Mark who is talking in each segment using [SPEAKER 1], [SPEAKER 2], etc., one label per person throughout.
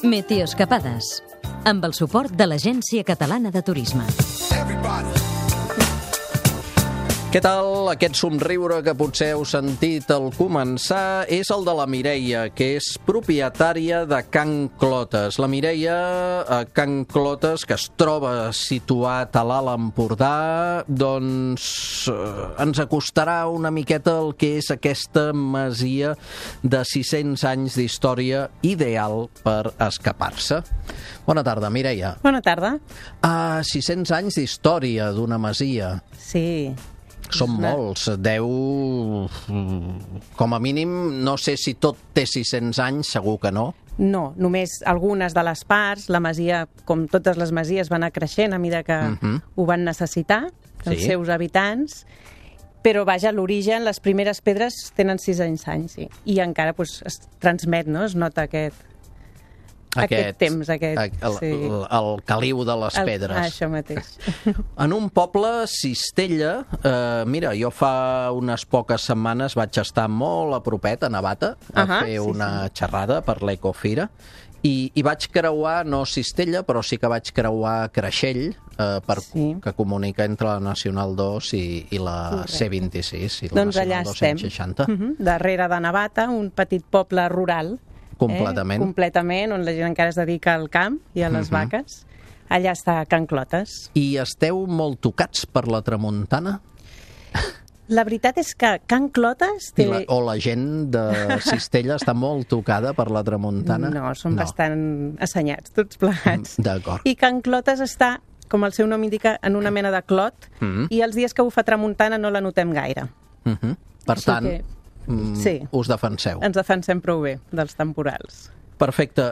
[SPEAKER 1] Meteoescapades, amb el suport de l'Agència Catalana de Turisme.
[SPEAKER 2] Què tal? Aquest somriure que potser heu sentit al començar és el de la Mireia, que és propietària de Can Clotes. La Mireia, a Can Clotes, que es troba situat a l'Alt Empordà, doncs ens acostarà una miqueta el que és aquesta masia de 600 anys d'història ideal per escapar-se. Bona tarda, Mireia.
[SPEAKER 3] Bona tarda.
[SPEAKER 2] 600 anys d'història d'una masia.
[SPEAKER 3] Sí.
[SPEAKER 2] Són molts, 10, com a mínim, no sé si tot té 600 anys, segur que no.
[SPEAKER 3] No, només algunes de les parts, la masia, com totes les masies, va anar creixent a mesura que ho van necessitar, els seus habitants, però vaja, l'origen, les primeres pedres tenen 600 anys, sí. I encara es transmet, no? Es nota aquest temps,
[SPEAKER 2] el caliu de les pedres.
[SPEAKER 3] Això mateix.
[SPEAKER 2] En un poble, Cistella, mira, jo fa unes poques setmanes vaig estar molt a propet, a Navata, a fer una xerrada per l'Ecofira, i vaig creuar, no Cistella, però sí que vaig creuar Creixell, que comunica entre la Nacional 2 i la C26, i la Nacional 260.
[SPEAKER 3] Darrere de Navata, un petit poble rural, completament, on la gent encara es dedica al camp i a les vaques. Allà està Can Clotes.
[SPEAKER 2] I esteu molt tocats per la tramuntana?
[SPEAKER 3] La veritat és que Can Clotes té...
[SPEAKER 2] O la gent de Cistella està molt tocada per la tramuntana?
[SPEAKER 3] No, són bastant assenyats, tots plegats.
[SPEAKER 2] D'acord.
[SPEAKER 3] I Can Clotes està, com el seu nom indica, en una mena de clot, i els dies que bufa tramuntana no la notem gaire.
[SPEAKER 2] Per tant... us defenseu.
[SPEAKER 3] Ens defensem prou bé dels temporals.
[SPEAKER 2] Perfecte.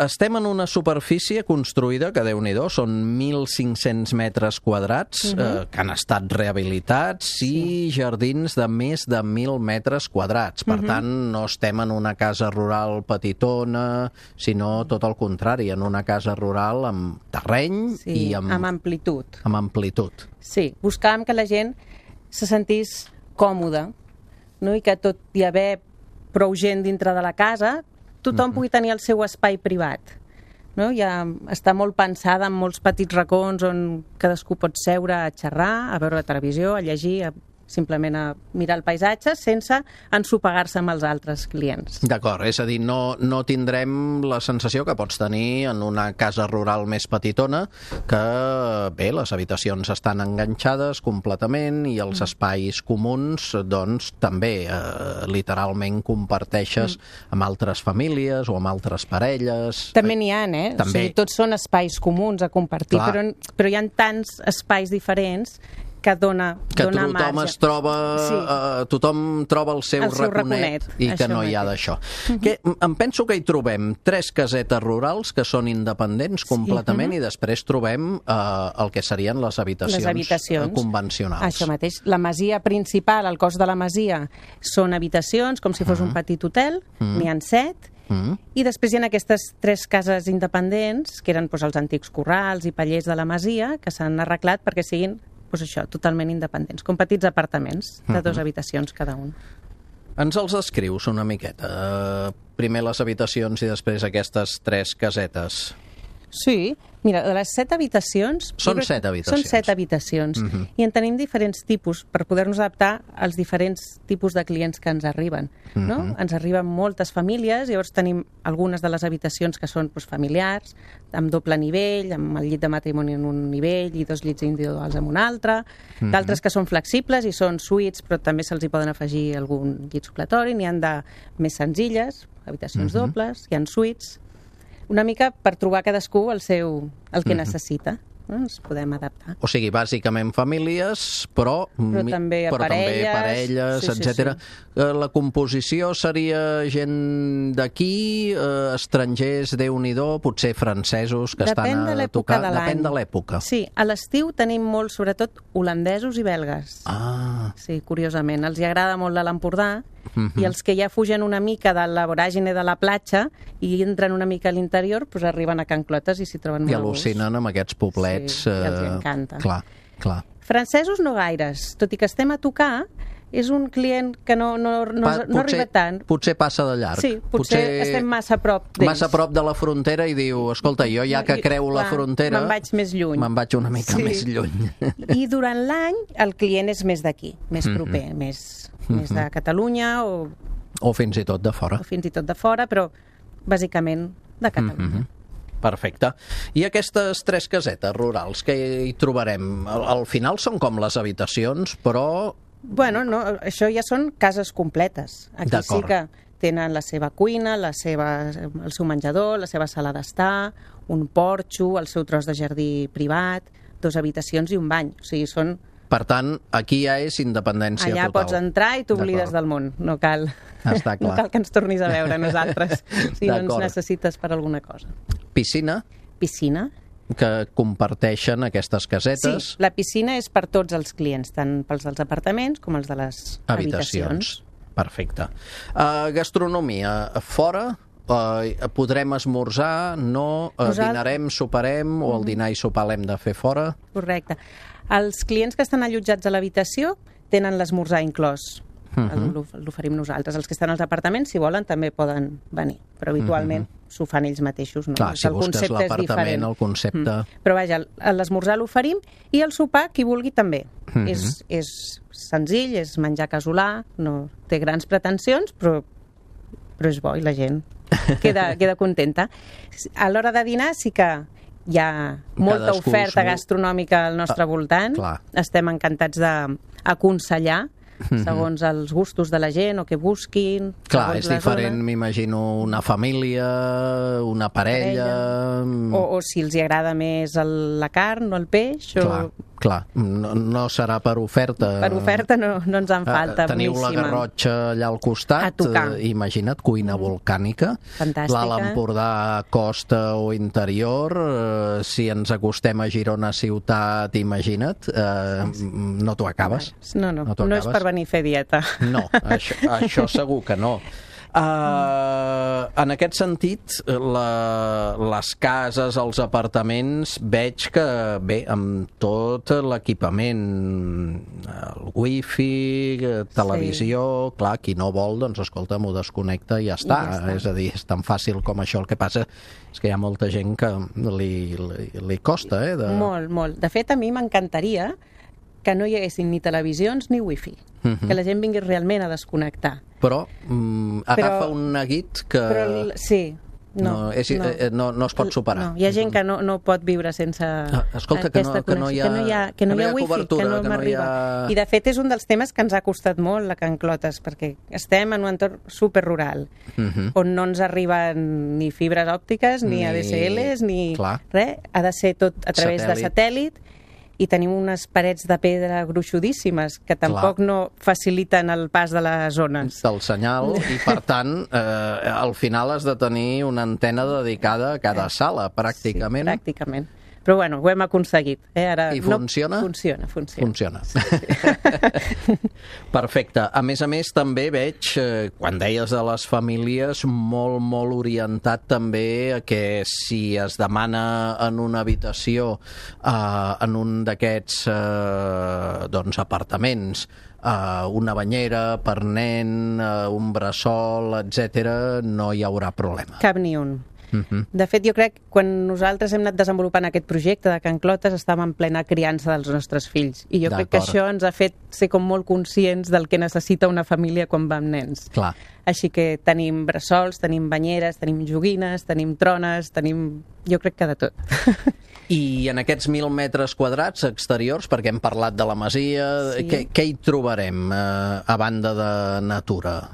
[SPEAKER 2] Estem en una superfície construïda, que Déu-n'hi-do, són 1.500 metres quadrats, que han estat rehabilitats, i jardins de més de 1.000 metres quadrats. Per tant, no estem en una casa rural petitona, sinó tot el contrari, en una casa rural amb terreny i amb
[SPEAKER 3] amplitud.
[SPEAKER 2] Amb amplitud.
[SPEAKER 3] Sí, buscàvem que la gent se sentís còmoda, no? I que tot i haver prou gent dintre de la casa, tothom pugui tenir el seu espai privat. No? Ja està molt pensada en molts petits racons on cadascú pot seure a xerrar, a veure la televisió, a llegir, simplement a mirar el paisatge sense ensopegar-se amb els altres clients.
[SPEAKER 2] D'acord, és a dir, no tindrem la sensació que pots tenir en una casa rural més petitona, que bé, les habitacions estan enganxades completament i els espais comuns doncs també literalment comparteixes amb altres famílies o amb altres parelles.
[SPEAKER 3] També n'hi ha, o sigui, tots són espais comuns a compartir, però hi ha tants espais diferents que dona marge.
[SPEAKER 2] Tothom troba el seu raconet i que no hi ha d'això. Em penso que hi trobem 3 casetes rurals que són independents completament i després trobem el que serien les habitacions convencionals.
[SPEAKER 3] Això mateix. La masia principal, el cos de la masia, són habitacions, com si fos un petit hotel, n'hi ha 7, i després hi ha aquestes 3 cases independents, que eren els antics corrals i pallers de la masia, que s'han arreglat perquè siguin totalment independents, com petits apartaments de 2 habitacions cada un.
[SPEAKER 2] Ens els descrius una miqueta? Primer les habitacions i després aquestes 3 casetes.
[SPEAKER 3] Sí, mira, de les 7 habitacions...
[SPEAKER 2] Són 7 habitacions.
[SPEAKER 3] Són 7 habitacions. I en tenim diferents tipus per poder-nos adaptar als diferents tipus de clients que ens arriben. Ens arriben moltes famílies, llavors tenim algunes de les habitacions que són familiars, amb doble nivell, amb el llit de matrimoni en un nivell i 2 llits individuals en un altre, d'altres que són flexibles i són suites, però també se'ls hi poden afegir algun llit supletori, n'hi han de més senzilles, habitacions dobles, hi ha suites, una mica per trobar cadascú el que necessita. Ens podem adaptar.
[SPEAKER 2] O sigui, bàsicament famílies, però
[SPEAKER 3] també
[SPEAKER 2] parelles, etc. La composició seria gent d'aquí, estrangers, Déu-n'hi-do, potser francesos que estan a tocar. Depèn de l'època.
[SPEAKER 3] Sí, a l'estiu tenim molts, sobretot, holandesos i belgues. Sí, curiosament. Els hi agrada molt l'Empordà, i els que ja fugen una mica de la voràgine de la platja i entren una mica a l'interior, arriben a Can Clotes i s'hi troben molt a gust.
[SPEAKER 2] I al·lucinen amb aquests poblets.
[SPEAKER 3] Sí, els encanta.
[SPEAKER 2] Clar.
[SPEAKER 3] Francesos no gaires, tot i que estem a tocar, és un client que no arriba tant.
[SPEAKER 2] Potser passa de llarg.
[SPEAKER 3] Sí, potser estem massa a prop d'ells.
[SPEAKER 2] Massa a prop de la frontera i diu, escolta, jo ja que creu la frontera...
[SPEAKER 3] Me'n vaig més lluny.
[SPEAKER 2] Me'n vaig una mica més lluny.
[SPEAKER 3] I durant l'any el client és més d'aquí, més proper, més de Catalunya
[SPEAKER 2] o fins i tot de fora.
[SPEAKER 3] O fins i tot de fora, però bàsicament de Catalunya.
[SPEAKER 2] Perfecte. I aquestes 3 casetes rurals que hi trobarem, al final són com les habitacions, però...
[SPEAKER 3] Bueno, no, això ja són cases completes. Aquí sí que tenen la seva cuina, el seu menjador, la seva sala d'estar, un porxo, el seu tros de jardí privat, 2 habitacions i un bany. O sigui, són...
[SPEAKER 2] Per tant, aquí ja és independència total.
[SPEAKER 3] Allà pots entrar i t'oblides del món. No cal,
[SPEAKER 2] està clar.
[SPEAKER 3] No cal que ens tornis a veure nosaltres si no ens necessites per alguna cosa.
[SPEAKER 2] Piscina?
[SPEAKER 3] Piscina.
[SPEAKER 2] Que comparteixen aquestes casetes?
[SPEAKER 3] Sí, la piscina és per tots els clients, tant pels dels apartaments com els de les habitacions.
[SPEAKER 2] Perfecte. Gastronomia, fora? Podrem esmorzar? No? Dinarem, soparem? O el dinar i sopar l'hem de fer fora?
[SPEAKER 3] Correcte. Els clients que estan allotjats a l'habitació tenen l'esmorzar inclòs. L'oferim nosaltres. Els que estan als apartaments, si volen, també poden venir. Però habitualment s'ho fan ells mateixos. No?
[SPEAKER 2] Clar, si busques l'apartament, el concepte...
[SPEAKER 3] Però vaja, l'esmorzar l'oferim i el sopar, qui vulgui, també. És senzill, és menjar casolà, no té grans pretensions, però és bo i la gent queda contenta. A l'hora de dinar sí que hi ha molta oferta gastronòmica al nostre voltant. Estem encantats d'aconsellar segons els gustos de la gent o que busquin.
[SPEAKER 2] Clar, és diferent, m'imagino, una família, una parella...
[SPEAKER 3] O si els agrada més la carn o el peix.
[SPEAKER 2] Clar, no serà per oferta.
[SPEAKER 3] Per oferta no ens en falta.
[SPEAKER 2] Teniu la Garrotxa allà al costat, imagina't, cuina volcànica.
[SPEAKER 3] Fantàstica.
[SPEAKER 2] L'Alt Empordà, costa o interior, si ens acostem a Girona ciutat, imagina't, no t'ho acabes.
[SPEAKER 3] No és per venir a fer dieta.
[SPEAKER 2] No, això segur que no. En aquest sentit, les cases, els apartaments, veig que, bé, amb tot l'equipament, el wifi, televisió, clar, qui no vol, doncs, escolta, m'ho desconnecta i ja està. És a dir, és tan fàcil com això. El que passa és que hi ha molta gent que li costa,
[SPEAKER 3] Molt, molt. De fet, a mi m'encantaria que no hi haguessin ni televisions ni wifi, que la gent vingui realment a desconnectar.
[SPEAKER 2] Però agafa un neguit que no es pot superar.
[SPEAKER 3] Hi ha gent que no pot viure sense aquesta connexió, que no hi ha wifi, que no m'arriba. I de fet és un dels temes que ens ha costat molt a Can Clotes, perquè estem en un entorn superrural, on no ens arriben ni fibres òptiques, ni ADSLs, ni res. Ha de ser tot a través de satèl·lit, i tenim unes parets de pedra gruixudíssimes que tampoc no faciliten el pas de les zones.
[SPEAKER 2] Del senyal, i per tant, al final has de tenir una antena dedicada a cada sala, pràcticament.
[SPEAKER 3] Sí, pràcticament. Però bueno, ho hem aconseguit. Ara
[SPEAKER 2] I funciona?
[SPEAKER 3] Funciona.
[SPEAKER 2] Perfecte. A més, també veig, quan deies de les famílies, molt, molt orientat també a que si es demana en una habitació, en un d'aquests apartaments, una banyera per nen, un bressol, etc., no hi haurà problema.
[SPEAKER 3] Cap ni un. De fet, jo crec que quan nosaltres hem anat desenvolupant aquest projecte de Can Clotes estàvem en plena criança dels nostres fills, i jo crec que això ens ha fet ser com molt conscients del que necessita una família quan va amb nens.
[SPEAKER 2] Clar.
[SPEAKER 3] Així que tenim bressols, tenim banyeres, tenim joguines, tenim trones, jo crec que de tot.
[SPEAKER 2] I en aquests 1.000 metres quadrats exteriors, perquè hem parlat de la masia, què hi trobarem a banda de natura?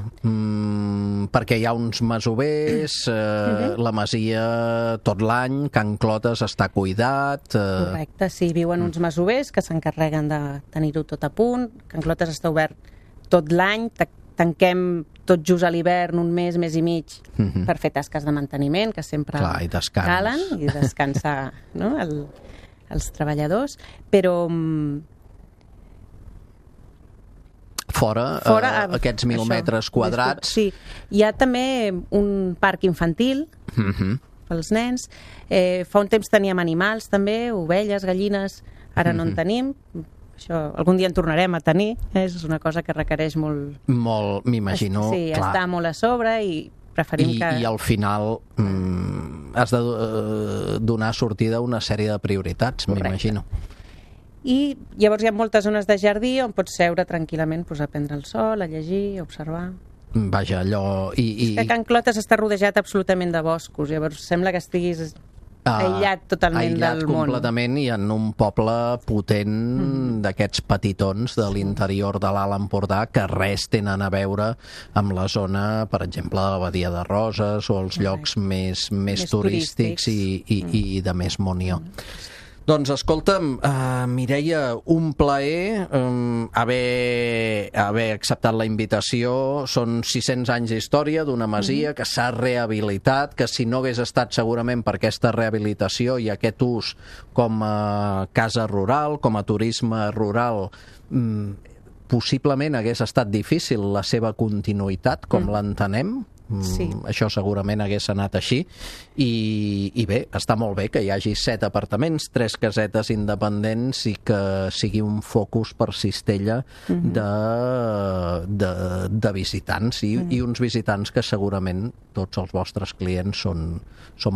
[SPEAKER 2] Perquè hi ha uns masovers, la masia tot l'any, Can Clotes està cuidat...
[SPEAKER 3] Correcte, sí, viuen uns masovers que s'encarreguen de tenir-ho tot a punt. Can Clotes està obert tot l'any, tanquem tot just a l'hivern un mes i mig per fer tasques de manteniment, que sempre calen, i descansar els treballadors, però
[SPEAKER 2] fora aquests 1.000 metres quadrats...
[SPEAKER 3] Sí, hi ha també un parc infantil pels nens. Fa un temps teníem animals també, ovelles, gallines, ara no en tenim. Això algun dia en tornarem a tenir, és una cosa que requereix molt...
[SPEAKER 2] Molt, m'imagino,
[SPEAKER 3] sí,
[SPEAKER 2] clar.
[SPEAKER 3] està molt a sobre i preferim que...
[SPEAKER 2] I al final has de donar sortida a una sèrie de prioritats, m'imagino.
[SPEAKER 3] I llavors hi ha moltes zones de jardí on pots seure tranquil·lament a prendre el sol, a llegir, a observar...
[SPEAKER 2] Vaja, allò...
[SPEAKER 3] És que Can Clotes està rodejat absolutament de boscos, llavors sembla que estiguis aïllat totalment del món.
[SPEAKER 2] Aïllat completament i en un poble potent d'aquests petitons de l'interior de l'Alt Empordà que res tenen a veure amb la zona, per exemple, de la Badia de Roses o els llocs més turístics i de més munió. Doncs escolta'm, Mireia, un plaer haver acceptat la invitació. Són 600 anys d'història d'una masia que s'ha rehabilitat, que si no hagués estat segurament per aquesta rehabilitació i aquest ús com a casa rural, com a turisme rural, possiblement hagués estat difícil la seva continuïtat, com l'entenem. Sí. Això segurament hagués anat així i bé, està molt bé que hi hagi 7 apartaments, 3 casetes independents i que sigui un focus per Cistella de visitants i uns visitants que segurament tots els vostres clients són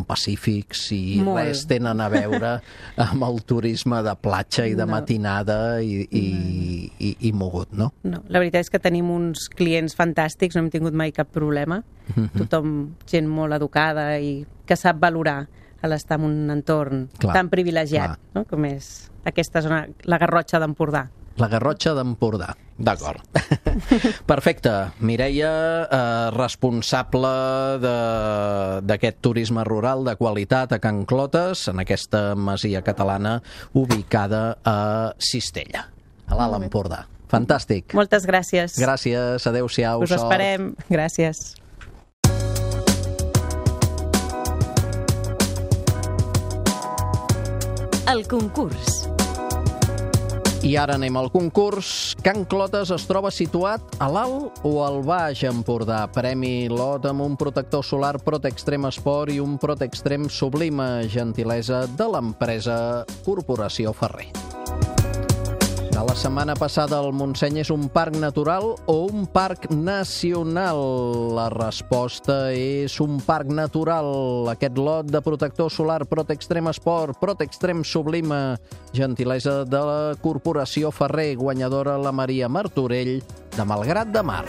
[SPEAKER 2] pacífics i res tenen a veure amb el turisme de platja i de matinada i mogut, no? No,
[SPEAKER 3] la veritat és que tenim uns clients fantàstics, no hem tingut mai cap problema. Tothom, gent molt educada i que sap valorar l'estar en un entorn tan privilegiat, no? Com és aquesta zona, la Garrotxa d'Empordà.
[SPEAKER 2] La Garrotxa d'Empordà, d'acord. Perfecte. Mireia, responsable d'aquest turisme rural de qualitat a Can Clotes, en aquesta masia catalana ubicada a Cistella, a l'Alt Empordà. Fantàstic.
[SPEAKER 3] Moltes gràcies.
[SPEAKER 2] Gràcies, adéu-siau.
[SPEAKER 3] Us esperem. Gràcies.
[SPEAKER 1] El concurs.
[SPEAKER 2] I ara anem al concurs. Can Clotes es troba situat a l'Alt o al Baix Empordà? Premi lot amb un protector solar Protextrem Sport i un Protextrem Sublima, gentilesa de l'empresa Corporació Ferrer. De la setmana passada, el Montseny és un parc natural o un parc nacional? La resposta és un parc natural. Aquest lot de protector solar Protextrem Sport, Protextrem Sublima, gentilesa de la Corporació Ferrer, guanyadora la Maria Martorell de Malgrat de Mar.